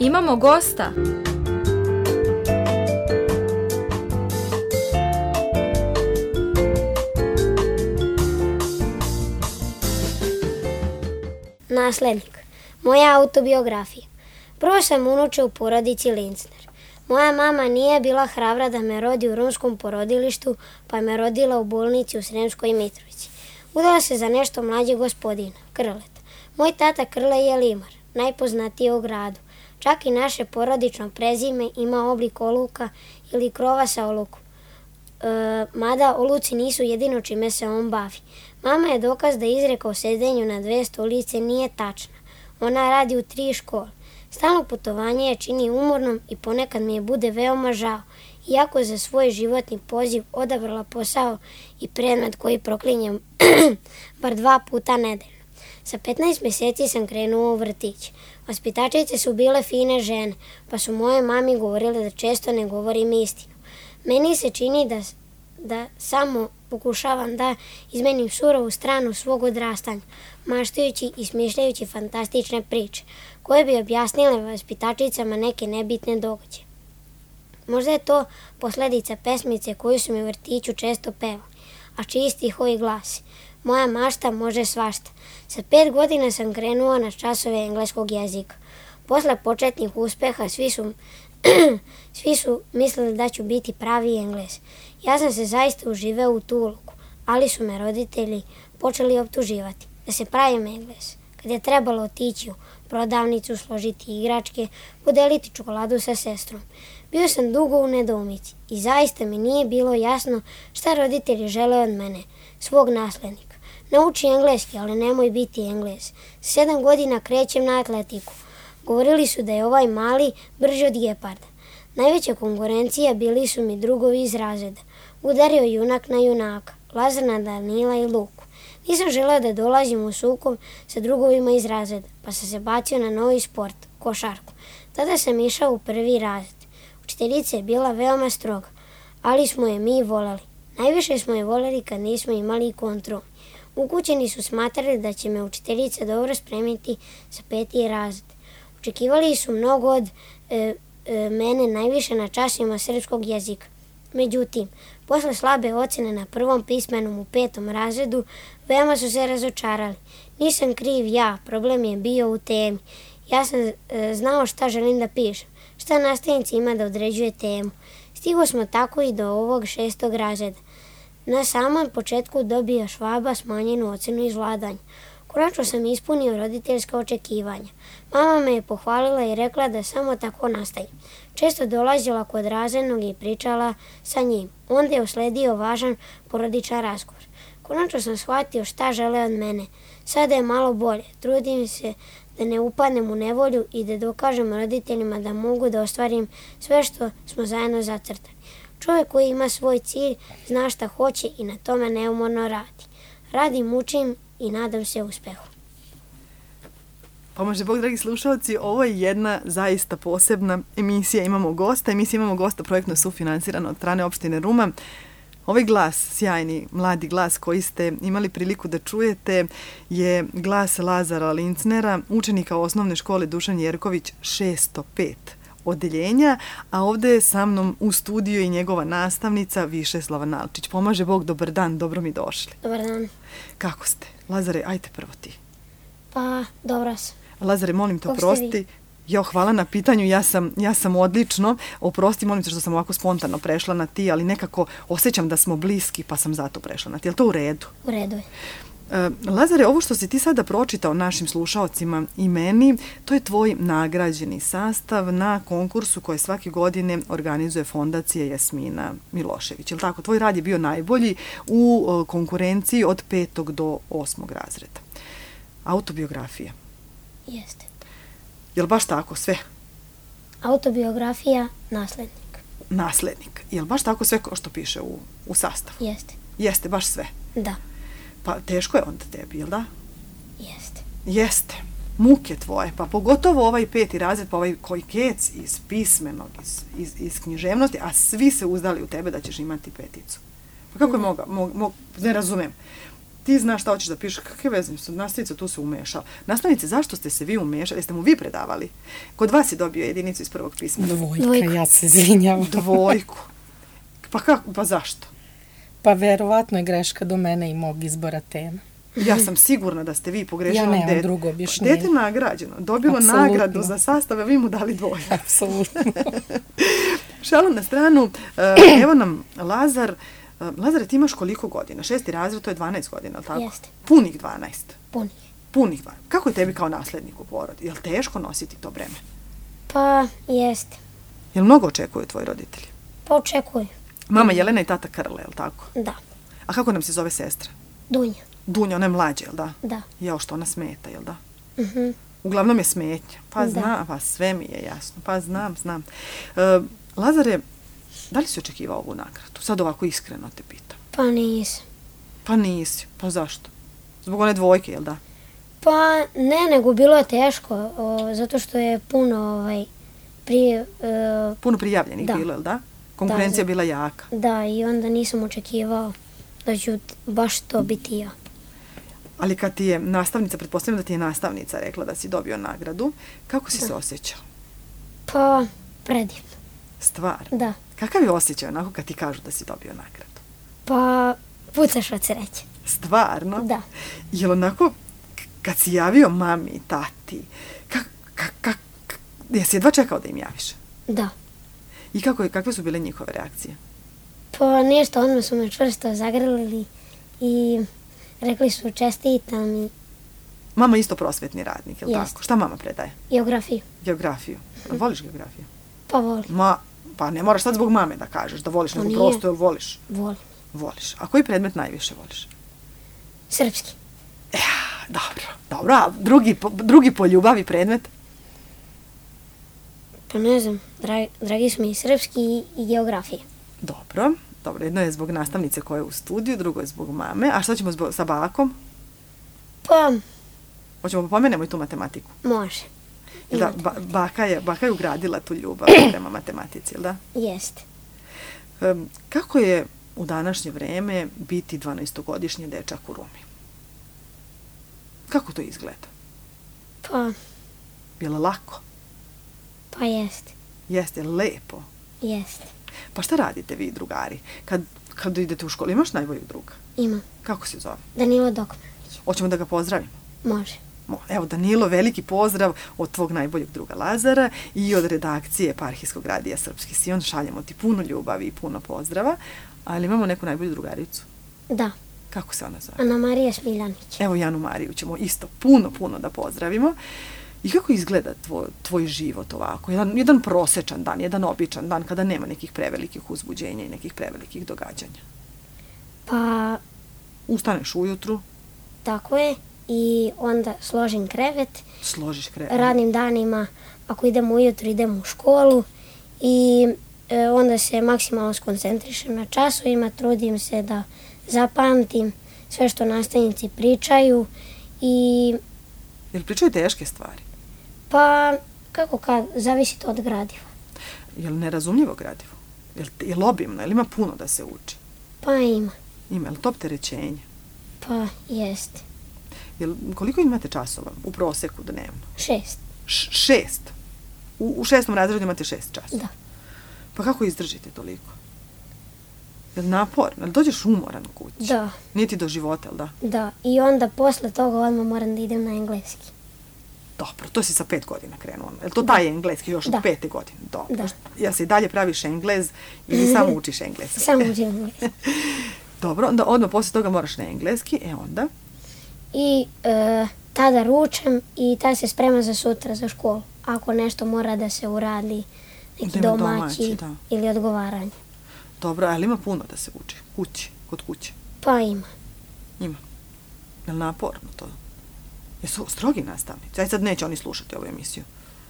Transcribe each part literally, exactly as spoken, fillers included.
Imamo gosta. Naslednik. Moja autobiografija. Prvo sam unuče u porodici Lincner. Moja mama nije bila hrabra da me rodi u romskom porodilištu, pa me rodila u bolnici u Sremskoj Mitrovici. Udala se za nešto mlađeg gospodina, Krleta. Moj tata Krle je limar, najpoznatiji u gradu. Čak i naše porodično prezime ima oblik oluka ili krova sa olukom. E, mada oluci nisu jedino čime se on bavi. Mama je dokaz da izreka o sedenju na dve stolice nije tačna. Ona radi u tri škole. Stalno putovanje je čini umornom i ponekad mi je bude veoma žao, iako za svoj životni poziv odabrala posao i predmet koji proklinjem bar dva puta nedeljno. Sa petnaest mjeseci sam krenuo u vrtić. Vaspitačice su bile fine žene, pa su moje mami govorile da često ne govorim istinu. Meni se čini da, da samo pokušavam da izmenim surovu stranu svog odrastanja, maštajući i smišljajući fantastične priče, koje bi objasnile vaspitačicama neke nebitne događaje. Možda je to posljedica pesmice koju su mi u vrtiću često pevali, a čiji stihovi glasi: moja mašta može svašta. Sa pet godina sam krenuo na časove engleskog jezika. Posle početnih uspeha svi su, svi su mislili da ću biti pravi Englez. Ja sam se zaista uživao u tu ulogu, ali su me roditelji počeli optuživati da se pravim Englez. Kad je trebalo otići u prodavnicu, složiti igračke, podeliti čokoladu sa sestrom. Bio sam dugo u nedoumici i zaista mi nije bilo jasno šta roditelji žele od mene, svog naslednika. Nauči engleski, ali nemoj biti Englez. Sedam godina krećem na atletiku. Govorili su da je ovaj mali brži od geparda. Najveća konkurencija bili su mi drugovi iz razreda. Udario junak na junaka, Lazar na Danila i Luku. Nisam želeo da dolazim u sukob sa drugovima iz razreda, pa sam se bacio na novi sport, košarku. Tada sam išao u prvi razred. Učiteljica je bila veoma stroga, ali smo je mi voleli. Najviše smo je voleli kad nismo imali kontrol. Ukućeni su smatrali da će me učiteljica dobro spremiti za peti razred. Očekivali su mnogo od e, e, mene, najviše na časovima srpskog jezika. Međutim, posle slabe ocene na prvom pismenom u petom razredu, veoma su se razočarali. Nisam kriv ja, problem je bio u temi. Ja sam e, znao šta želim da pišem, šta nastavnici ima da određuje temu. Stigo smo tako i do ovog šestog razreda. Na samom početku dobio Švaba smanjenu ocenu iz vladanja. Konačno sam ispunio roditeljska očekivanja. Mama me je pohvalila i rekla da samo tako nastavim. Često dolazila kod razrednog i pričala sa njim. Onda je usledio važan porodičan razgovor. Konačno sam shvatio šta žele od mene. Sada je malo bolje. Trudim se da ne upadnem u nevolju i da dokažem roditeljima da mogu da ostvarim sve što smo zajedno zacrtali. Čovjek koji ima svoj cilj zna šta hoće i na tome neumorno radi. Radim, učim i nadam se uspehu. Pomože Bog, dragi slušalci, ovo je jedna zaista posebna emisija. Imamo gosta, emisija Imamo gosta projektno sufinansirana od strane opštine Ruma. Ovaj glas, sjajni mladi glas koji ste imali priliku da čujete, je glas Lazara Lincnera, učenika osnovne škole Dušan Jerković šesto pet odeljenja, a ovdje je sa mnom u studiju i njegova nastavnica Višeslava Nalčić. Pomaže Bog, dobar dan, dobro mi došli. Dobar dan. Kako ste? Lazare, ajte prvo ti. Pa, dobro sam. Lazare, molim te, oprosti. Jo, hvala na pitanju, ja sam, ja sam odlično. Oprosti, molim te što sam ovako spontano prešla na ti, ali nekako osjećam da smo bliski, pa sam zato prešla na ti. Je li to u redu? U redu je. Lazare, ovo što si ti sada pročitao našim slušaocima i meni, to je tvoj nagrađeni sastav na konkursu koje svake godine organizuje Fondacija Jasmina Milošević. Je li tako? Tvoj rad je bio najbolji u konkurenciji od petog do osmog razreda. Autobiografija. Jeste. Je li baš tako sve? Autobiografija, naslednik. Naslednik. Je li baš tako sve kao što piše u, u sastavu? Jeste. Jeste, baš sve? Da. Pa teško je onda tebi, jel da? Jeste. Jeste. Muke tvoje, pa pogotovo ovaj peti razred, pa ovaj koji kec iz pismenog, iz, iz, iz književnosti, a svi se uzdali u tebe da ćeš imati peticu. Pa kako je moga, mog, mog, ne razumem. ti znaš šta hoćeš da pišeš, kakve veze, nastavnica tu se umešala. Nastavnice, zašto ste se vi umešali? Jeste mu vi predavali? Kod vas je dobio jedinicu iz prvog pisma. Dvojka, Dvojka. Ja se izvinjavam. Dvojku. Pa kako, pa zašto? Pa verovatno je greška do mene i mog izbora tema. Ja sam sigurna da ste vi pogrešili. Ja nemam dete. drugo objašnjenje. Dete nagrađeno, dobilo Apsolutno. nagradu za sastave, vi mu dali dvojku. Apsolutno. Šalu na stranu, evo nam Lazar. Lazare, ti imaš koliko godina? Šesti razred, to je dvanaest godina, ali tako? Jeste. Punih dvanaest. Punih. Punih dvanaest. Kako je tebi kao naslednik u porodi? Je li teško nositi to breme? Pa, jeste. Je li mnogo očekuju tvoji roditelji? Pa očekuju. Mama Jelena i tata Krle, je li tako? Da. A kako nam se zove sestra? Dunja. Dunja, ona je mlađa, je li da? Da. Jao, što ona smeta, je li da? Mhm. Uglavnom je smetnja. Pa Da. znam, pa sve mi je jasno. Pa znam, znam. E, Lazare, da li si očekivao ovu nagradu? Sad ovako iskreno te pitam. Pa nisam. Pa nisi. Pa zašto? Zbog one dvojke, jel da? Pa ne, nego bilo je teško, o, zato što je puno ovaj, prije, e, Puno prijavljenih Da. bilo, jel da? Konkurencija Da, bila jaka. da, i onda nisam očekivao da ću t- baš to biti ja. Ali kad ti je nastavnica, pretpostavljam da ti je nastavnica rekla da si dobio nagradu, kako si se osjećao? Pa, predivno, Stvar. da. Kakav je osjećaj onako kad ti kažu da si dobio nagradu? Pa, pucaš od sreće. Stvarno? Da. Jel onako, k- kad si javio mami i tati, kak, kak, kak, kak- jesi jedva čekao da im javiš? Da. I kako, je- kakve su bile njihove reakcije? Pa ništa, odmah su me čvrsto zagrlili i rekli su čestitam i Mama isto prosvetni radnik, jel Jest. tako? Šta mama predaje? geografiju. Geografiju. A voliš geografiju? Pa volim, Ma, pa ne moraš sad zbog mame da kažeš da voliš, Pa nego nije. prosto jel voliš? volim. Voliš. A koji predmet najviše voliš? Srpski. Dobro, dobro, a drugi, po- drugi po ljubavi predmet? Pa ne znam, dragi, dragi su mi i srpski i, i geografija. Dobro, dobro, jedno je zbog nastavnice koja je u studiju, drugo je zbog mame. A šta ćemo zbog, sa bakom? Pa, Hoćemo da pomenemo i tu matematiku. može. Jel da, Imate. ba, baka, je, baka je ugradila tu ljubav prema matematici, jel da? Jeste. Um, kako je u današnje vreme biti dvanaestogodišnji dečak u Rumi? Kako to izgleda? Pa, Je li lako? pa jeste. Jeste li lepo? Jeste. Pa šta radite vi, drugari? Kad, kad idete u školu, imaš najboljeg druga? Imam. Kako se zove? Danilo Dokmanović. Hoćemo da ga pozdravimo? Može. Mo- Evo, Danilo, veliki pozdrav od tvog najboljeg druga Lazara i od redakcije Eparhijskog radija Srpski Sion. Šaljemo ti puno ljubavi i puno pozdrava, ali imamo neku najbolju drugaricu. Da. Kako se ona zove? Ana Marija Smiljanić. Evo, Janu Mariju ćemo isto puno, puno da pozdravimo. I kako izgleda tvoj, tvoj život ovako? Jedan, jedan prosečan dan, jedan običan dan kada nema nekih prevelikih uzbuđenja i nekih prevelikih događanja. Pa, Ustaneš ujutru, tako je. I onda složim krevet. složiš krevet. Radnim danima, ako idem ujutro, idem u školu. I e, onda se maksimalno skoncentrišem na časovima. Trudim se da zapamtim sve što nastavnici pričaju. I Jel pričaju teške stvari? pa, kako kad, zavisi to od gradiva. Jel nerazumljivo gradivo? Jel, jel obimno? Jel ima puno da se uči? Pa ima. Ima, jel to opterećenje? Pa, jeste. Jel, koliko imate časova u proseku dnevno? Šest. Š- šest. U, u šestom razredu imate šest časova. Da. Pa kako izdržite toliko? Jel naporno? Jel dođeš umoran u kući? Da. Nije ti do života, jel da? Da. I onda posle toga odmah moram da idem na engleski. Dobro, to si sa pet godina krenuo. Jel to taj engleski još od Da. pete godine? Dobro. Da. Ja se i dalje praviš englez ili samo učiš engleski? Samo učim engleski. Dobro, onda odmah posle toga moraš na engleski, e onda? I e, tada ručam i tada se sprema za sutra za školu. Ako nešto mora da se uradi, neki Da ima domaći, domaći, da. ili odgovaranje. Dobro, ali ima puno da se uči. Kući, kod kuće. Pa ima. Ima. Jel naporno to? Jesu strogi nastavnici? Aj sad neće oni slušati ovu emisiju.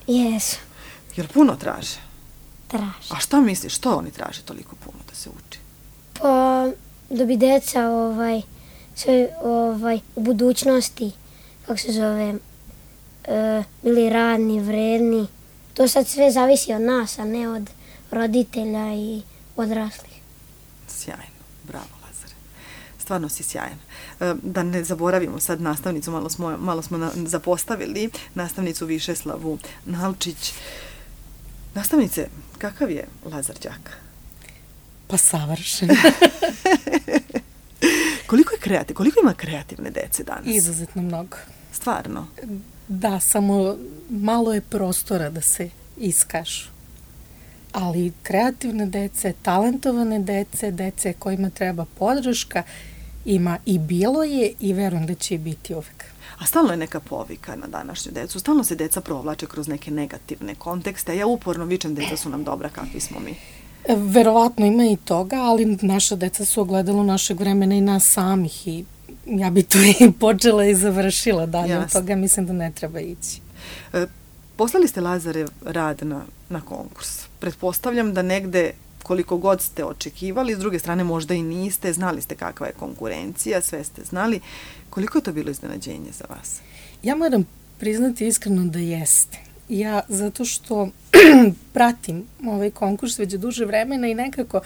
Jesu. Jer puno traže. Traži. A šta misliš, što oni traže toliko puno da se uči? Pa da bi deca ovaj, sve ovaj, u budućnosti, kako se zove, e, bili radni, vredni. To sad sve zavisi od nas, a ne od roditelja i odraslih. Sjajno. Bravo, Lazare. stvarno si sjajan. Da ne zaboravimo sad nastavnicu, malo smo, malo smo na, zapostavili, nastavnicu Višeslavu Nalčić. Nastavnice, kakav je Lazar đak? Pa savršen. Koliko je kreativ, koliko ima kreativne dece danas? Izuzetno mnogo. Stvarno? Da, samo malo je prostora da se iskažu. Ali kreativne dece, talentovane dece, dece kojima treba podrška, ima i bilo je i verujem da će i biti uvek. A stalno je neka povika na današnju decu, stalno se deca provlače kroz neke negativne kontekste. Ja uporno vičem, deca su nam dobra, kakvi smo mi. Verovatno ima i toga, ali naša deca su ogledalo našeg vremena i nas samih i ja bi to i počela i završila dalje. Jasne. Od toga mislim da ne treba ići. E, poslali ste Lazarev rad na, na konkurs. Pretpostavljam da negde koliko god ste očekivali, s druge strane možda i niste, znali ste kakva je konkurencija, sve ste znali. Koliko je to bilo iznenađenje za vas? Ja moram priznati iskreno da jeste. Ja, zato što pratim ovaj konkurs već duže vremena i nekako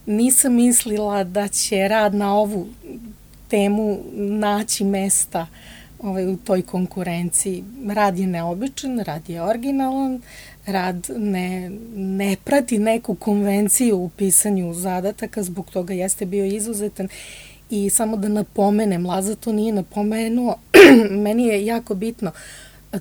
nisam mislila da će rad na ovu temu naći mesta ovaj, u toj konkurenciji. Rad je neobičan, rad je originalan, rad ne, ne prati neku konvenciju u pisanju zadataka, zbog toga jeste bio izuzetan. I samo da napomenem, Laza to nije napomenuo, meni je jako bitno,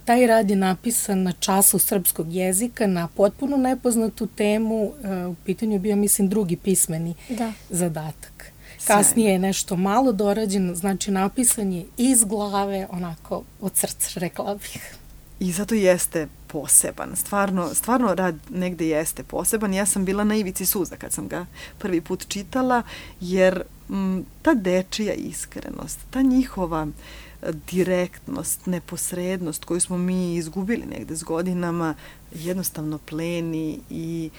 taj rad je napisan na času srpskog jezika, na potpuno nepoznatu temu, u pitanju je bio, mislim, drugi pismeni da. zadatak. Kasnije je nešto malo dorađeno, znači napisan je iz glave, onako od srca, rekla bih. I zato jeste poseban. Stvarno, stvarno rad negde jeste poseban. Ja sam bila na ivici suza kad sam ga prvi put čitala, jer m, ta dečija iskrenost, ta njihova direktnost, neposrednost koju smo mi izgubili negde s godinama, jednostavno pleni i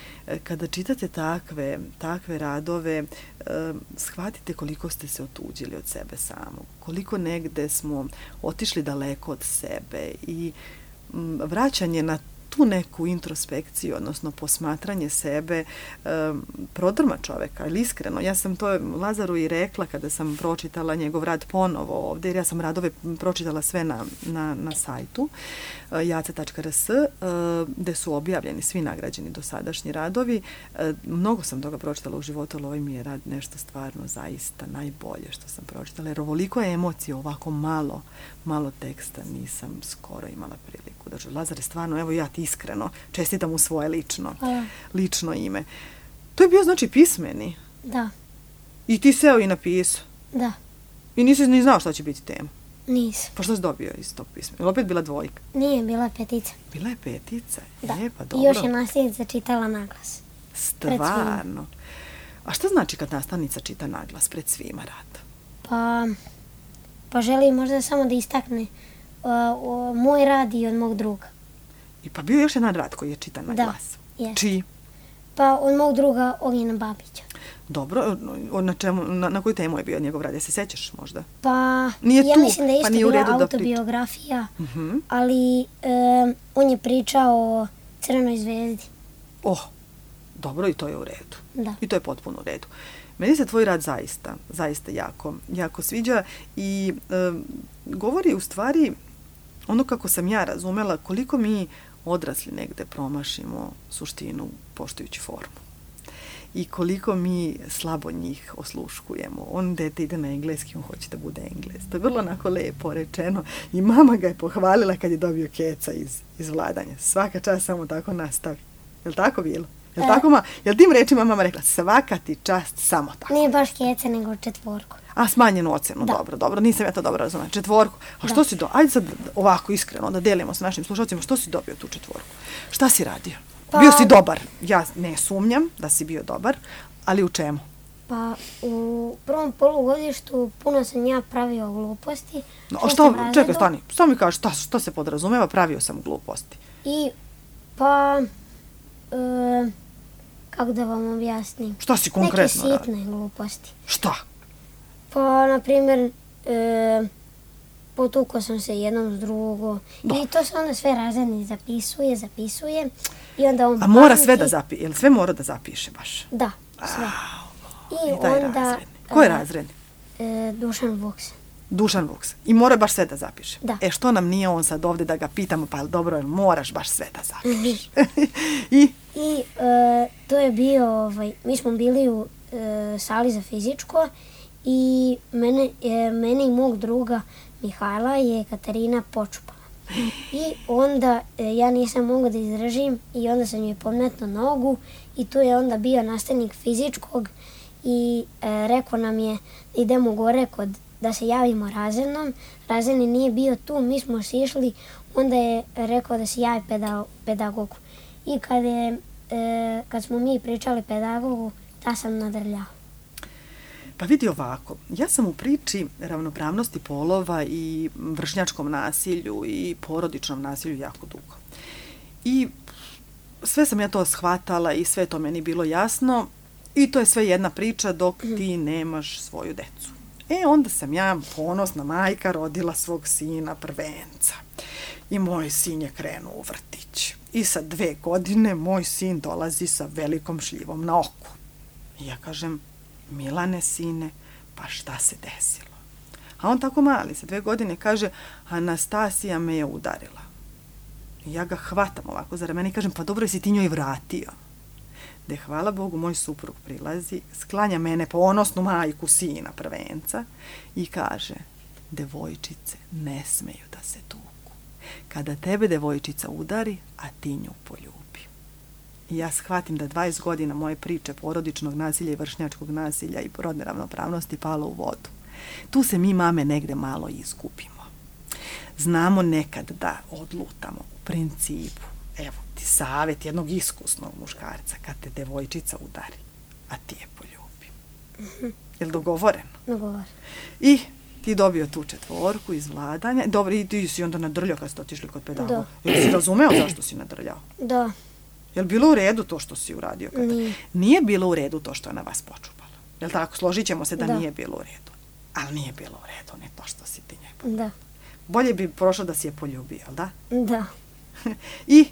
kada čitate takve, takve radove, eh, shvatite koliko ste se otuđili od sebe samog, koliko negde smo otišli daleko od sebe i m, vraćanje na tu neku introspekciju, odnosno posmatranje sebe, um, prodrma čoveka, ali iskreno. Ja sam to Lazaru i rekla kada sam pročitala njegov rad ponovo ovde, jer ja sam radove pročitala sve na, na, na sajtu uh, jace tačka r s, uh, gde su objavljeni svi nagrađeni dosadašnji radovi. Uh, mnogo sam toga pročitala u životu, ali ovaj mi je rad nešto stvarno zaista najbolje što sam pročitala, jer ovoliko je emocije, ovako malo, malo teksta nisam skoro imala priliku. Znači, Lazar je stvarno, evo ja ti iskreno čestitam u svoje lično, Hvala. lično ime. To je bio znači pismeni? Da. I ti seo i napisao? Da. I nisi ni znao šta će biti tema? Nisam. Pa što si dobio iz tog pisma? Je li opet bila dvojka? Nije, bila petica. Bila je petica? Da. Je, pa dobro. I još je nastavnica čitala naglas. Stvarno? A šta znači kad nastavnica čita naglas pred svima rad? Pa, pa želi možda samo da istakne uh, uh, moj rad i od mog druga. I pa bio je još jedan rad koji je čitan na da, glas. Jest. Čiji? Pa od mog druga Ognjena Babića. Dobro, na, čemu, na, na koju temu je bio njegov rad? Ja se sećaš možda? Pa, nije ja tu, mislim da je isto pa bila autobiografija, uh-huh. ali um, on je pričao o Crvenoj zvezdi. Oh, dobro, i to je u redu. Da. I to je potpuno u redu. Meni se tvoj rad zaista, zaista jako, jako sviđa i um, govori u stvari ono kako sam ja razumela, koliko mi odrasli negde promašimo suštinu poštujući formu. I koliko mi slabo njih osluškujemo. On dete ide na engleski, on hoće da bude Englez. To je vrlo onako lepo rečeno. I mama ga je pohvalila kad je dobio keca iz, iz vladanja. Svaka čast samo tako nastavi. Je li tako bilo? Je li tako, ma? Je li tim rečima mama rekla, svaka ti čast samo tako? Nije baš keca, nego četvorku. A, smanjenu ocenu, da. dobro, dobro. Nisam ja to dobro razumela. Četvorku. A što da. si do... Ajde sad ovako iskreno da delimo sa našim slušalcima. Što si dobio tu četvorku? Šta si radio? Pa, bio si dobar. Ja ne sumnjam da si bio dobar, ali u čemu? Pa u prvom polugodištu puno sam ja pravio gluposti. No, a šta, čekaj, stani. Šta mi kažeš, šta, šta se podrazumeva? Pravio sam gluposti. I, pa, e, kako da vam objasnim? Šta si konkretno radio? Neke sitne gluposti. Šta? Pa, na primjer, e, potukao sam se jednom s drugom. Da. I to se onda sve razredni zapisuje, zapisuje. I onda on A mora pameti. Sve da zapiše? Jel sve mora da zapiše baš? Da, sve. A, I taj onda... razredni. Ko je razredni? E, Dušan Vuks. Dušan Vuks. I mora baš sve da zapiše. Da. E što nam nije on sad ovdje da ga pitamo, pa dobro, jel moraš baš sve da zapišeš? I? I e, to je bio, ovaj, mi smo bili u e, sali za fizičko i mene, e, mene i mog druga Mihajla je Katarina počupala. I onda e, ja nisam mogla da izdržim i onda sam joj podmetnuo nogu i tu je onda bio nastavnik fizičkog i e, rekao nam je idemo gore kod, da se javimo razrednom. Razredni nije bio tu, mi smo sišli, onda je rekao da se javi peda, pedagogu. I kad, je, e, kad smo mi pričali pedagogu, ta sam nadrljao. Pa vidi ovako, ja sam u priči ravnopravnosti polova i vršnjačkom nasilju i porodičnom nasilju jako dugo. I sve sam ja to shvatala i sve to meni bilo jasno i to je sve jedna priča dok ti nemaš svoju decu. E onda sam ja, ponosna majka, rodila svog sina prvenca. I moj sin je krenuo u vrtić. I sa dve godine moj sin dolazi sa velikom šljivom na oku. I ja kažem, Milane, sine, pa šta se desilo? A on tako mali, sa dve godine kaže, Anastasija me je udarila. I ja ga hvatam ovako za ramena i kažem, pa dobro, jesi ti njoj vratio? De, hvala Bogu, moj suprug prilazi, sklanja mene ponosnu majku sina prvenca i kaže, devojčice ne smeju da se tuku. Kada tebe devojčica udari, a ti nju poljubi. I ja shvatim da dvadeset godina moje priče porodičnog nasilja i vršnjačkog nasilja i rodne ravnopravnosti palo u vodu. Tu se mi mame negde malo izgubimo. Znamo nekad da odlutamo u principu. Evo ti savjet jednog iskusnog muškarca kad te devojčica udari, a ti je poljubi. Mm-hmm. Je li dogovoreno? Dogovoreno. I ti dobio tu četvorku iz vladanja. Dobro, i ti si onda nadrljao kad ste otišli kod pedagoga. Jel si razumeo zašto si nadrljao? Da. Je li bilo u redu to što si uradio? Kada? Nije. Nije bilo u redu to što je na vas počupala. Je li tako? Složit ćemo se da, da. nije bilo u redu. Ali nije bilo u redu, ne to što si ti njoj. Da. Bolje bi prošlo da si je poljubio, jel da? Da. I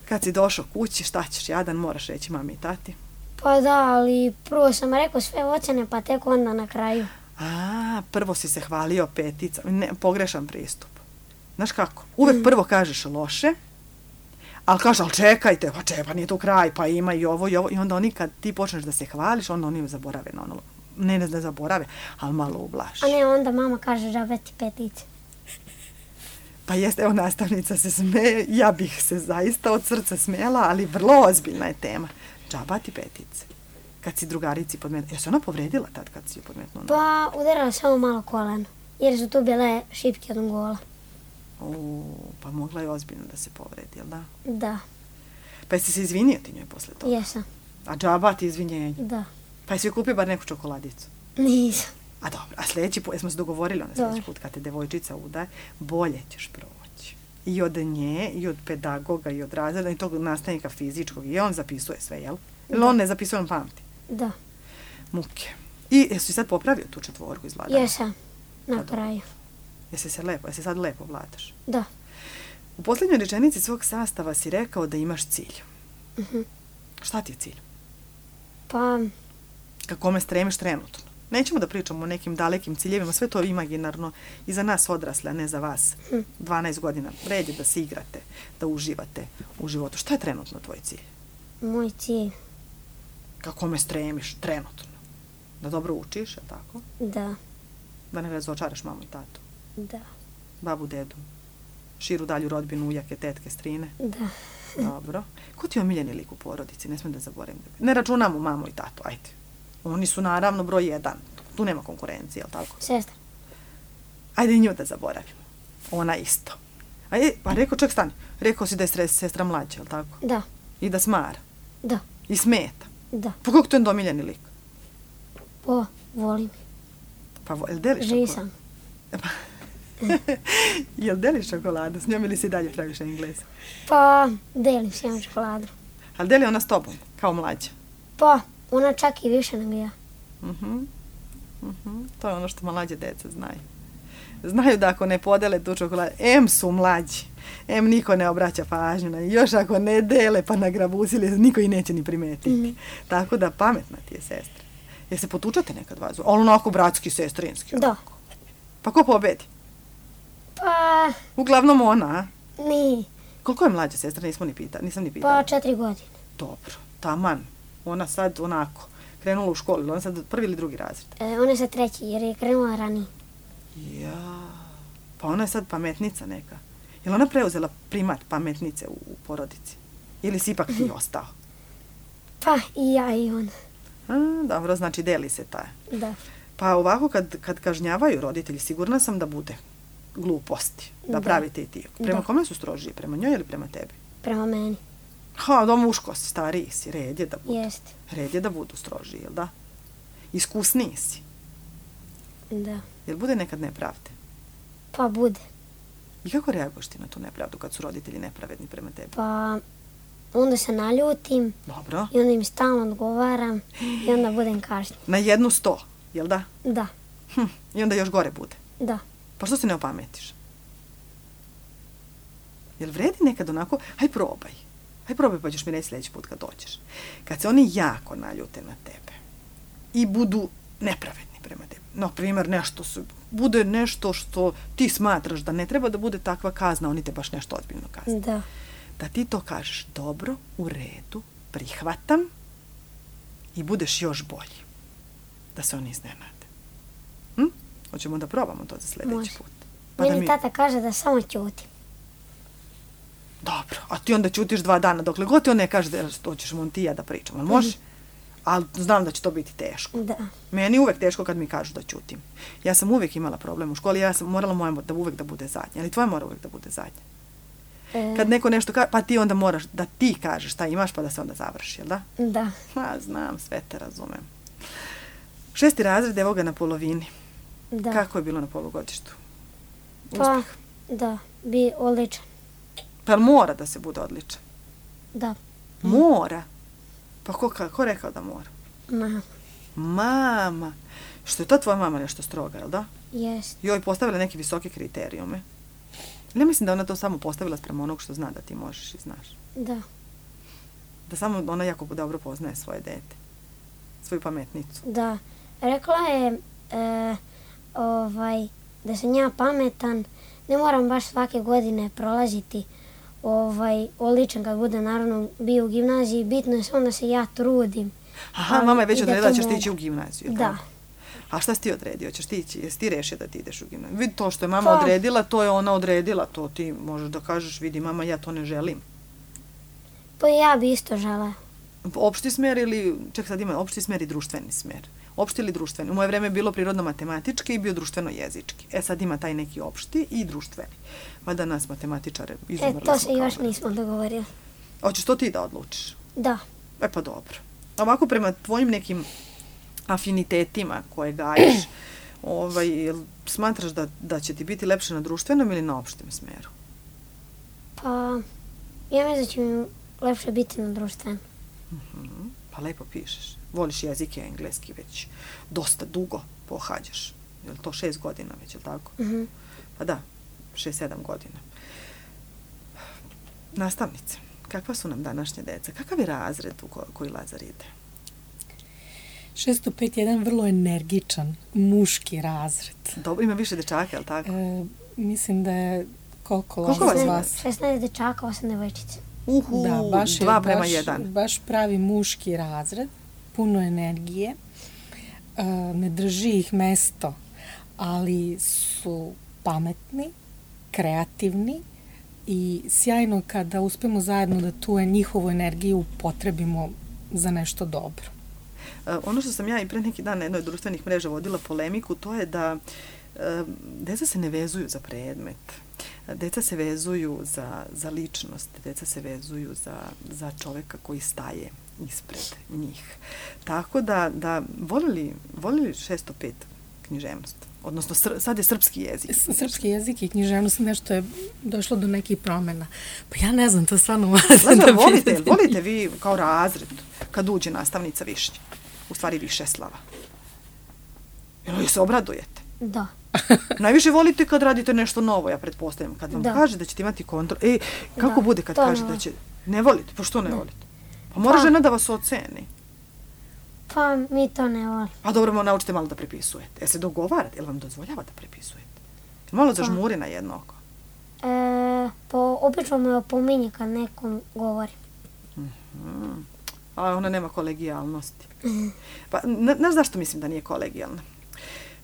kad si došao kući, šta ćeš? Jadan moraš reći mami i tati? Pa da, ali prvo sam rekao sve ocene, pa tek onda na kraju. A, prvo si se hvalio petica. Ne, pogrešan pristup. Znaš kako? Uvek mm. prvo kažeš loše, ali kažeš, ali čekajte, pa čekaj, pa nije tu kraj, pa ima i ovo i ovo. I onda oni kad ti počneš da se hvališ, onda oni zaborave na ono. Ne, ne da zaborave, ali malo ublaži. A ne, onda mama kaže džabe ti petice. Pa jeste, evo nastavnica se smeje, ja bih se zaista od srca smijela, ali vrlo ozbiljna je tema. Džaba ti petice. Kad si drugarici podmetnula, je se ona povredila tad kad si ju podmetnula? Pa udarala samo malo koleno, jer su tu bile šipke od gola. O, pa mogla je ozbiljno da se povredi, jel da? Da. Pa jesi se izvinio ti njoj posle toga? Jesam. A džaba ti izvinjenje? Da. Pa jesi joj kupio bar neku čokoladicu? Nisam. A dobro, a sljedeći put, jesmo se dogovorili onda sljedeći put kad te devojčica udaje, bolje ćeš proći. I od nje, i od pedagoga, i od razreda, i tog nastavnika fizičkog, i on zapisuje sve, jel? Ili on ne zapisuje, on pamti? Da. Muke. I jesi sad popravio tu četvorku iz vladanja? Jesam, na pa kraju. Jesi se lepo, jesi sad lepo vladaš? Da. U posljednjoj rečenici svog sastava si rekao da imaš cilj. Uh-huh. Šta ti je cilj? Pa... Ka kome stremiš trenutno? Nećemo da pričamo o nekim dalekim ciljevima, sve to je imaginarno i za nas odrasle, a ne za vas. Hm. dvanaest godina, red je da se igrate, da uživate u životu. Šta je trenutno tvoj cilj? Moj cilj? Ka kome stremiš trenutno? Da dobro učiš, je tako? Da. Da ne razočaraš mamu i tatu? Da. Babu, dedu? Širu dalju rodbinu, ujake, tetke, strine? Da. Dobro. Ko ti je omiljeni lik u porodici? Ne smijem da zaboravim. Ne računamo mamu i tatu, ajde. Oni su naravno broj jedan. Tu nema konkurencije, jel tako? Sestra. Ajde nju da zaboravimo. Ona isto. Ajde, pa rekao, ček stani. Rekao si da je stres, sestra mlađa, jel tako? Da. I da smara? Da. I smeta? Da. Pa kako to je omiljeni lik? Pa, volim. Pa, jel deliš čokoladu? Žisam. Jel deliš čokoladu s njom ili si dalje praviš Engleza? Pa, delim s njom čokoladu. Ali deli ona s tobom, kao mlađa? Pa, ona čak i više nego ja. Uh-huh. Uh-huh. To je ono što mlađe deca znaju. Znaju da ako ne podele tu čokoladu, em su mlađi, em niko ne obraća pažnju na, još ako ne dele pa nagrabusili, niko i neće ni primetiti. Mm-hmm. Tako da pametna ti je sestra. Jel se potučate nekad vas? Ali onako bratski, sestrinski? Da. Onako. Pa ko pobedi? Pa, Uglavnom ona, a? ni, Koliko je mlađa sestra? Nismo ni pitali, nisam ni pitala. pa četiri godine. Dobro, taman. Ona sad onako, krenula u školu, ili ona sad prvi ili drugi razred? E, ona je sad treći jer je krenula ranije. Ja, pa ona je sad pametnica neka. Je li ona preuzela primat pametnice u, u porodici? Ili si ipak ti ostao? Pa i ja i ona. A, dobro, znači deli se taj. Da, Pa ovako kad, kad kažnjavaju roditelji, sigurna sam da bude gluposti. Da, Da. pravite i ti. Prema Da. kome su strožiji? Prema njoj ili prema tebi? prema meni. Ha, da muško si, stariji si, red je da budu. Jeste. Red je da budu strožiji, jel da? Iskusniji si. Da. Jel bude nekad nepravde? Pa bude. I kako reaguješ ti na tu nepravdu kad su roditelji nepravedni prema tebi? Pa onda se naljutim Dobro. i onda im stalno odgovaram i onda budem kažnjen. Na jednu sto, jel da? Da, Hm, i onda još gore bude. da. Pa što se ne opametiš? Jel vredi nekad onako, haj probaj. Haj probaj pa ćeš mi reći sljedeći put kad dođeš. Kad se oni jako naljute na tebe i budu nepravedni prema tebi. Na primjer, nešto su, bude nešto što ti smatraš da ne treba da bude takva kazna, oni te baš nešto ozbiljno kazne. Da, Da ti to kažeš, dobro, u redu, prihvatam i budeš još bolji. Da se oni iznenade. Hm? Hoćemo da probamo to za sljedeći Može. put. Pa da meni mi... tata kaže da samo ćutim. Dobro, a ti onda ćutiš dva dana, dokle god ti on ne kaže da to ćeš on ti i ja da pričam, ali može? Ali znam da će to biti teško. Da, Meni je uvek teško kad mi kažu da ćutim. Ja sam uvek imala problem u školi, ja sam morala moja da uvek da bude zadnja, ali tvoja mora uvek da bude zadnja. e, Kad neko nešto kaže, pa ti onda moraš da ti kažeš šta imaš pa da se onda završi, jel da? da, Ma, znam, sve te razumem. Šesti razred, evo ga na polovini. da. Kako je bilo na polugodištu? Pa, Uspeh. da, bi odličan. Pa jel mora da se bude odličan? Da, Mora? Pa ko, ka- ko rekao da mora? ma, Mama. Što je to tvoja mama nešto stroga, jel da? jest. Joj postavila neke visoke kriterijume. Ne mislim da ona to samo postavila sprem onog što zna da ti možeš i znaš. Da, Da samo ona jako dobro poznaje svoje dete. Svoju pametnicu. da. Rekla je e, ovaj, da sam ja pametan, ne moram baš svake godine prolaziti ovaj, odličan kad bude naravno bio u gimnaziji, bitno je samo da se ja trudim. Aha, Ali mama je već i da odredila to ćeš ti mogu. ići u gimnaziju. Da. tako? A šta si ti odredio? Ćeš ti ići? Jesi ti rešio da ti ideš u gimnaziju? Vidi, to što je mama Pa. odredila, to je ona odredila. To ti možeš da kažeš, vidi mama, ja to ne želim. Pa ja bi isto žela. Opšti smer ili, ček sad ima, opšti smer i društveni smer. Opšti ili društveni? U moje vreme je bilo prirodno-matematički i bio društveno-jezički. E sad ima taj neki opšti i društveni. Valjda nas matematičare E, izumrli to smo se kao još da- nismo dogovorili. Hoćeš to ti da odlučiš? Da, E pa dobro. Ovako prema tvojim nekim afinitetima koje gajiš, ovaj, jel smatraš da, da će ti biti lepše na društvenom ili na opštem smeru? pa ja mislim da će mi lepše biti na društvenom. Mhm, pa lepo pišeš. Voliš jezike, engleski već dosta dugo pohađaš. Je li to šest godina već, je li tako? Mhm. Pa da, šest, sedam godina. Nastavnice, kakva su nam današnje deca? Kakav je razred u ko- koji Lazar ide? šesto pet jedan vrlo energičan, muški razred. Dobro, ima više dečaka, je li tako? E, mislim da je koliko Koliko Lazar vas vas? ima? šesnaest dečaka, osam devojčica. Uhu, Da, baš je dva prema baš, jedan. baš pravi muški razred, puno energije, e, ne drži ih mesto, ali su pametni, kreativni i sjajno kada uspemo zajedno da tu njihovu energiju upotrebimo za nešto dobro. E, ono što sam ja i pre neki dan na jednoj od društvenih mreža vodila polemiku, to je da e, deca se ne vezuju za predmet. Deca se vezuju za, za ličnost, deca se vezuju za, za čoveka koji staje ispred njih. Tako da, da volili, volili šesto pet književnost, odnosno sr, sad je srpski jezik. S- Srpski jezik i književnost nešto je došlo do nekih promjena. Pa ja ne znam, to stvarno moram Lazar, da volite, pitam. volite vi kao razred kad uđe nastavnica Višnja, u stvari Višeslava? Jel li se obradujete? Da, Najviše volite kad radite nešto novo, ja pretpostavljam. Kad vam Da. kaže da ćete imati kontrol. E, kako Da, bude kad to kaže ne da volim. će... Ne volite? Pa što ne volite? Pa mora Pa. žena da vas oceni. Pa mi to ne volimo. A dobro, mo naučite malo da prepisujete. Jel se dogovarate? Jel vam dozvoljava da prepisujete? Jel malo zažmuri na jedno oko? E, pa obično me opominje kad nekom govori. Mm-hmm. A ona nema kolegijalnosti. Pa, znaš zašto mislim da nije kolegijalna?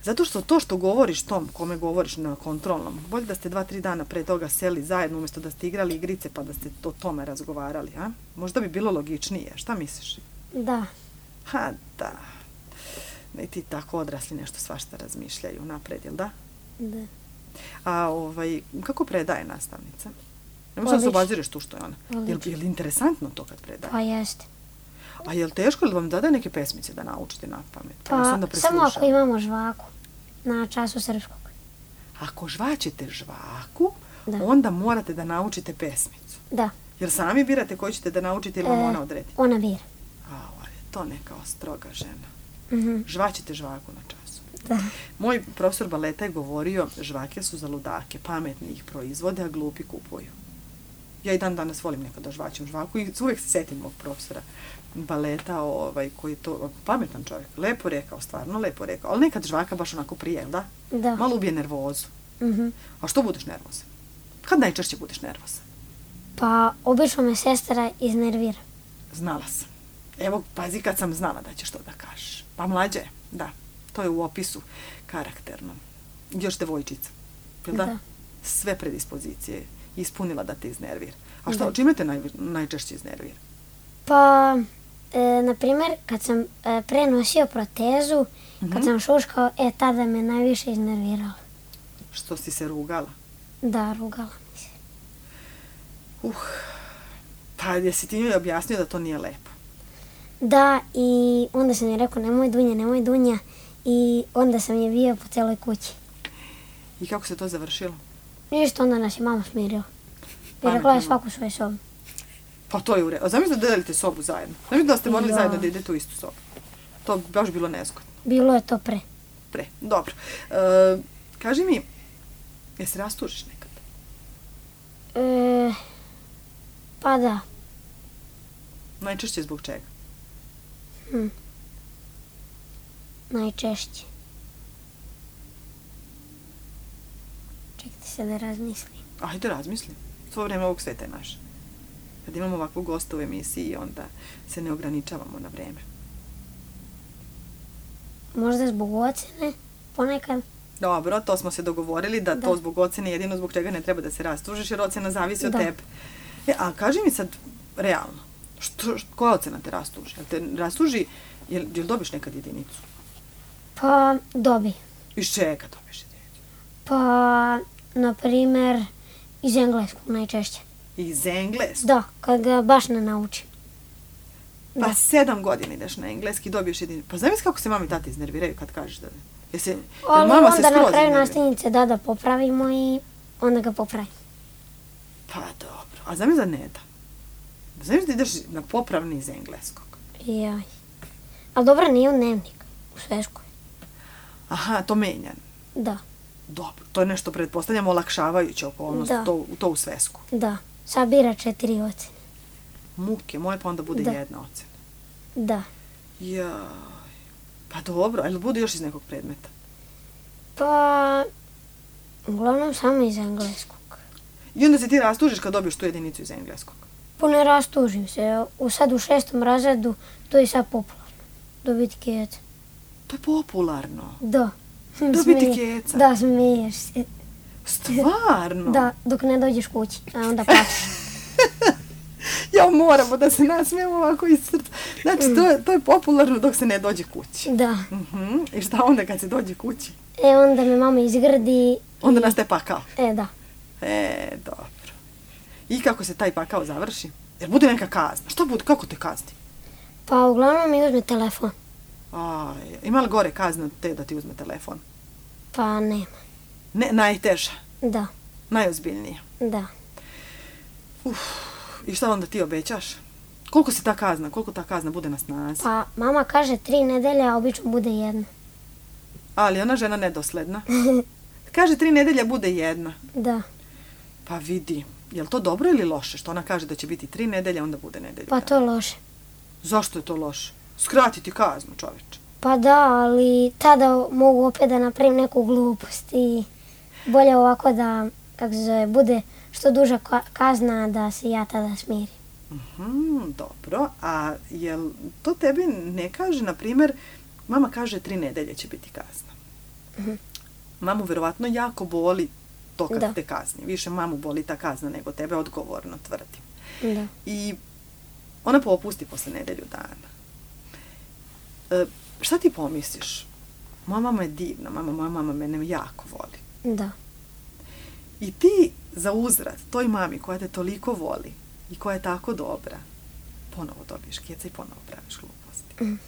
Zato što to što govoriš tom kome govoriš na kontrolnom, bolje da ste dva, tri dana pre toga seli zajedno umjesto da ste igrali igrice pa da ste o tome razgovarali, a? Možda bi bilo logičnije. Šta misliš? Da. Ha, da. Ne ti tako odrasli nešto svašta razmišljaju napred, jel da? Da. A ovaj, kako predaje nastavnica? Ne možda se obazireš tu što je ona. Je li interesantno to kad predaje? Pa jeste. A je li teško ili vam dade neke pesmice da naučite na pamet? Pa, pa samo ako imamo žvaku na času srpskog. Ako žvačete žvaku, da. Onda morate da naučite pesmicu. Da. Jer sami birate koju ćete da naučite ili vam e, ona odredi? Ona bira. A, je to neka stroga žena. Mm-hmm. Žvačite žvaku na času. Da. Moj profesor baleta je govorio, žvake su za ludake, pametni ih proizvode, a glupi kupuju. Ja i dan danas volim nekada žvaćem žvaku i uvijek se setim mog profesora baleta, ovaj, koji je to pametan čovjek. Lepo rekao, stvarno lepo rekao. Ali nekad žvaka baš onako prije, da? Da. Malo ubije nervozu. Mm-hmm. A što budeš nervozan? Kad najčešće budeš nervozan? Pa, obično me sestra iznervira. Znala sam. Evo, pazi kad sam znala da ćeš to da kažeš. Pa mlađe, da. To je u opisu karakternom. Još devojčica. Jel da? Da. Sve predispozicije ispunila da te iznervira. A šta, čime te naj, najčešće iznervira? Pa, e, na primjer, kad sam e, prenosio protezu, mm-hmm. kad sam šuškao, e, tada me najviše iznerviralo. Što si se rugala? Da, rugala mi se. Uh, pa jesi ti mi objasnio da to nije lepo? Da, i onda sam je rekao, nemoj Dunja, nemoj Dunja, i onda sam je bio po celoj kući. I kako se to završilo? Ništa, onda nas je mama smirila. I rekla je svaku svoju sobu. Pa to je u redu. A zamislite da delite sobu zajedno. Zamislite da ste morali zajedno da idete u istu sobu. To bi baš bilo nezgodno. Bilo je to pre. Pre, dobro. E, kaži mi, je se rastužiš nekad? E, pa da. Najčešće zbog čega? Hm. Najčešće. Čekajte se da razmislim. Ajde, razmislim. Svo vreme ovog sveta je naše. Kad imamo ovakvu gosta u emisiji, onda se ne ograničavamo na vreme. Možda zbog ocene, ponekad. Dobro, to smo se dogovorili, da, da. To zbog ocene jedino zbog čega ne treba da se rastužiš, jer ocena zavisi od da. tebe. E, a kaži mi sad, realno, što, što, koja ocena te rastuži? Jel te rastuži, jel, jel dobiš nekad jedinicu? Pa, dobi. Iz čega dobiš jedinicu? Pa, na primer, iz engleskog najčešće. Iz engleskog? Da, kad ga baš ne naučim. Pa da. sedam godina ideš na engleski, dobiješ jedinicu. Pa zamisli kako se mami i tati iznerviraju kad kažeš da... Jesi, jel ali mama onda se na kraju iznervira? nastavnice da da popravimo i onda ga popravim. Pa dobro. A zamisli da ne da. Zamisli da ideš na popravni iz engleskog. Jaj. Ali dobro, nije u dnevnik, u sveskoj. Aha, to menjan. Da. Dobro, to je nešto, pretpostavljamo, olakšavajuće okolnost, to, to u svesku. Da, sabira četiri ocene. Muke, moje pa onda bude da. Jedna ocena. Da. Jaj, pa dobro, ali bude još iz nekog predmeta? Pa, uglavnom samo iz engleskog. I onda se ti rastužiš kad dobiješ tu jedinicu iz engleskog? Pa ne rastužim se, u, sad u šestom razredu to je sad popularno, dobiti keca. To je popularno? Da. Dobiti keca? Da, smiješ se. Stvarno? Da, dok ne dođeš kući, a onda plaćeš. Ja moramo da se nasmijemo ovako iz srca. Znači, to je, to je popularno dok se ne dođe kući. Da. Uh-huh. I šta onda kad se dođe kući? E, onda me mama izgrdi. Onda i... nastaje pakao? E, da. E, dobro. I kako se taj pakao završi? Jer bude neka kazna. Što bude? Kako te kazni? Pa, uglavnom mi uzme telefon. Aj, ima li gore kazna te da ti uzme telefon? Pa, nema. Ne, najteža? Da. Najozbiljnija? Da. Uf. I šta onda ti obećaš? Koliko se ta kazna, koliko ta kazna bude na snazi? Pa, mama kaže tri nedelje, a obično bude jedna. Ali ona žena nedosledna. Kaže tri nedelje bude jedna. Da. Pa vidi, je li to dobro ili loše? Što ona kaže da će biti tri nedelje, onda bude nedelju. Pa to je loše. Zašto je to loše? skratiti kaznu, čoveče. Pa da, ali tada mogu opet da napravim neku glupost i bolje ovako da, kako se zove, bude što duža kazna da se ja tada smirim. Mm, dobro, a jel to tebi ne kaže, na primjer, mama kaže tri nedelje će biti kazna. Mm-hmm. Mamu verovatno jako boli to kad da. te kazni. Više mamu boli ta kazna nego tebe, odgovorno tvrdim. Da. I ona popusti posle nedelju dana. E, šta ti pomisliš? Moja mama je divna, mama, moja mama mene jako voli. Da. I ti za uzvrat toj mami koja te toliko voli i koja je tako dobra, ponovo dobiješ keca i ponovo praviš gluposti. Mm.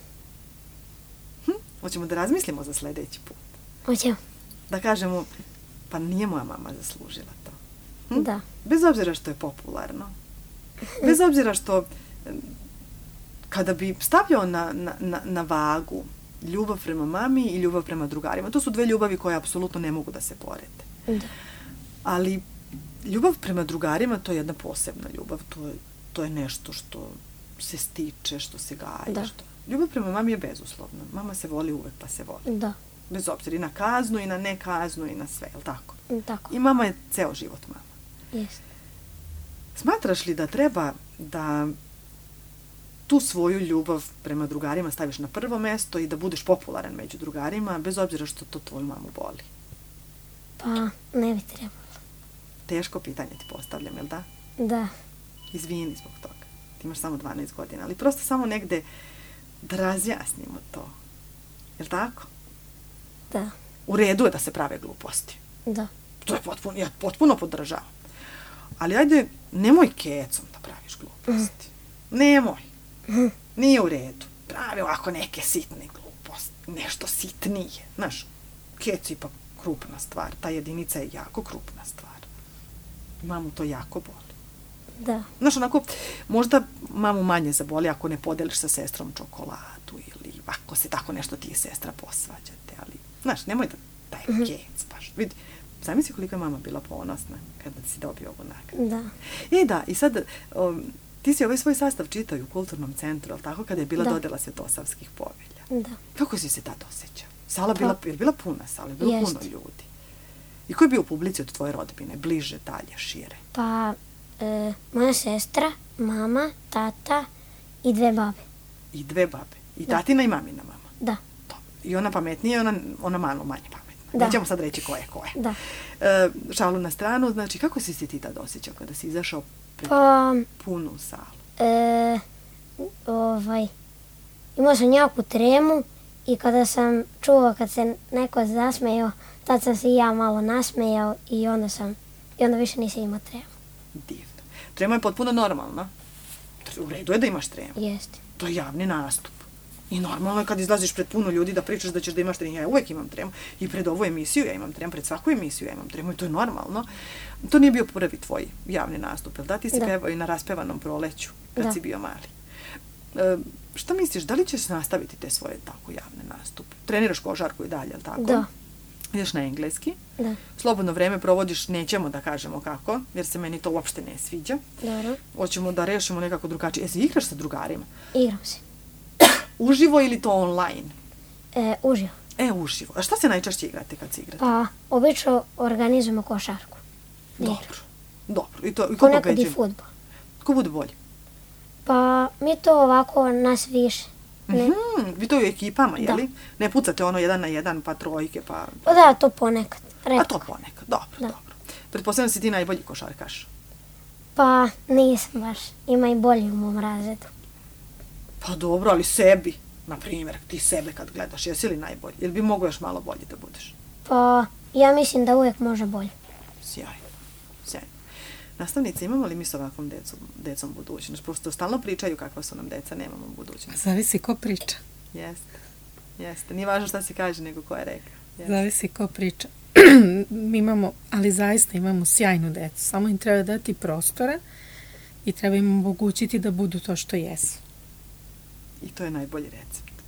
Hm? Hoćemo da razmislimo za sljedeći put. Hoćemo. Da kažemo, pa nije moja mama zaslužila to. Hm? Da. Bez obzira što je popularno. Bez obzira što kada bi stavljao na, na, na vagu ljubav prema mami i ljubav prema drugarima, to su dve ljubavi koje apsolutno ne mogu da se porede. Da. Ali ljubav prema drugarima, to je jedna posebna ljubav, to je, to je nešto što se stiče, što se gaji. Da. Što... Ljubav prema mami je bezuslovna. Mama se voli uvek, pa se voli. Da. Bez obzira i na kaznu, i na nekaznu, i na sve, je li tako? Tako. I mama je ceo život mama. Jeste. Smatraš li da treba da tu svoju ljubav prema drugarima staviš na prvo mesto i da budeš popularan među drugarima, bez obzira što to tvoju mamu boli? Pa, ne bi trebalo. Teško pitanje ti postavljam, jel da? Da. Izvini zbog toga. Ti imaš samo dvanaest godina, ali prosto samo negde da razjasnimo to. Jel tako? Da. U redu je da se prave gluposti. Da. To je potpuno, ja potpuno podržavam. Ali ajde, nemoj kecom da praviš gluposti. Mm. Nemoj. Mm. Nije u redu. Pravi ovako neke sitne gluposti. Nešto sitnije. Znaš, kec je ipak krupna stvar. Ta jedinica je jako krupna stvar. Mamu to jako boli. Da. Znaš, onako, možda mamu manje zaboli ako ne podeliš sa sestrom čokoladu ili ako se tako nešto ti i sestra posvađate, ali, znaš, nemoj da taj mm-hmm. kec baš. Vidi, zamisli koliko je mama bila ponosna kada si dobio ovu nagradu. Da. E da, i sad, um, ti si ovaj svoj sastav čitao u kulturnom centru, ali tako, kada je bila da. dodela Svetosavskih povelja. Da. Kako si se tad osjećao? Sala bila, je bila puna sala, je bilo Jest. puno ljudi. I ko je bio u publici od tvoje rodbine? Bliže, dalje, šire? Pa, e, moja sestra, mama, tata i dve babe. I dve babe. I da. tatina i mamina mama. Da. To. I ona pametnija i ona, ona malo manje pametna. Da. Nećemo sad reći ko je ko je. Da. E, šalu na stranu, znači kako si se ti tad osjećao kada si izašao pred pa, punu salu? E, ovaj, imao sam jako tremu i kada sam čuo kad se neko zasmejao, tad sam se i ja malo nasmejao i onda sam, i onda više nisam imao tremu. Divno. Trema je potpuno normalna. U redu je da imaš tremu. Jeste. To je javni nastup. I normalno je kad izlaziš pred puno ljudi da pričaš da ćeš da imaš tremu. Ja uvijek imam tremu. I pred ovu emisiju ja imam tremu, pred svaku emisiju ja imam tremu i to je normalno. To nije bio prvi tvoj javni nastup, jel da? Ti si da. pevao i na Raspevanom proleću kad da. si bio mali. E, šta misliš, da li ćeš nastaviti te svoje tako javne nastupe? Treniraš košarku i dalje, jel tako? Da. Ideš na engleski. Da. Slobodno vreme provodiš, nećemo da kažemo kako, jer se meni to uopšte ne sviđa. Dobro. Hoćemo da rešimo nekako drugačije. E, se igraš sa drugarima? Igram se. Uživo ili to online? E, uživo. E, uživo. A šta se najčešće igrate kad se igrate? Pa, obično organizujemo košarku. Dobro. Dobro. I to, i ko ponekad pobeđuje? I fudbal. Ko bude bolji? Pa, mi to ovako nas više. Ne. Mm-hmm. Vi to u ekipama, da. jeli? Ne pucate ono jedan na jedan, pa trojke, pa... Pa da, to ponekad. Retko. A to ponekad, dobro, da. dobro. Pretpostavljam si ti najbolji košarkaš. Pa, nisam baš. Ima i bolji u mom razredu. Pa dobro, ali sebi, na primjer, ti sebe kad gledaš, jesi li najbolji? Ili bi mogo još malo bolji da budeš? Pa, ja mislim da uvijek može bolje. Sjajno, sjajno. Nastavnice, imamo li mi s ovakvom decom, decom budućnost? Prosto stalno pričaju kakva su nam deca, nemamo budućnost. Zavisi ko priča. Jeste, jeste. Nije važno šta se kaže, nego ko je rekao. Jeste. Zavisi ko priča. Mi imamo, ali zaista imamo sjajnu decu. Samo im treba dati prostora i treba im omogućiti da budu to što jesu. I to je najbolji recept.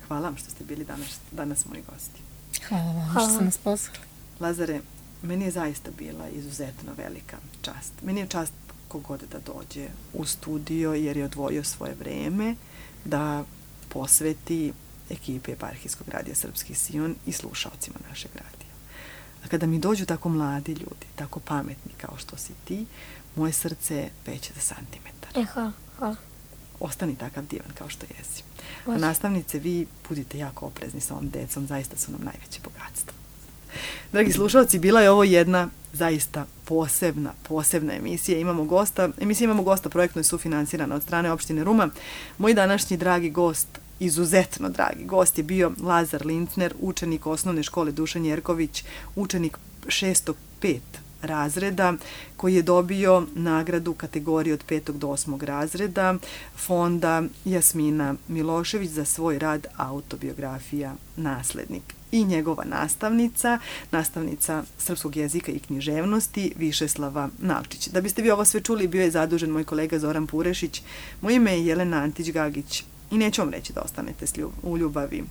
Hvala vam što ste bili danas, danas moji gosti. Hvala vam Hvala. što ste nas pozvali. Lazare, meni je zaista bila izuzetno velika čast. Meni je čast kogod da dođe u studio jer je odvojio svoje vreme da posveti ekipe Eparhijskog radija Srpski Sion i slušalcima našeg radija. A kada mi dođu tako mladi ljudi, tako pametni kao što si ti, moje srce peće za santimetar. E, hvala, hvala. Ostani takav divan kao što jesi. A Može. nastavnice, vi budite jako oprezni sa ovom decom, zaista su nam najveće bogatstvo. Dragi slušalci, bila je ovo jedna zaista posebna, posebna emisija. Imamo gosta, emisija imamo gosta, projektno je sufinansirana od strane opštine Ruma. Moj današnji dragi gost, izuzetno dragi gost je bio Lazar Lincner, učenik osnovne škole Dušan Jerković, učenik šestog pet razreda, koji je dobio nagradu kategorije od petog do osmog razreda fonda Jasmina Milošević za svoj rad autobiografija Naslednik. I njegova nastavnica, nastavnica srpskog jezika i književnosti, Višeslava Navčić. Da biste vi ovo sve čuli, bio je zadužen moj kolega Zoran Purešić. Moje ime je Jelena Antić-Gagić i neću vam reći da ostanete u ljubavi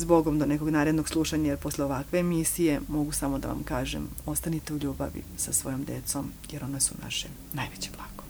s Bogom do nekog narednog slušanja, jer posle ovakve emisije mogu samo da vam kažem, ostanite u ljubavi sa svojom decom, jer ona su naše najveće blago.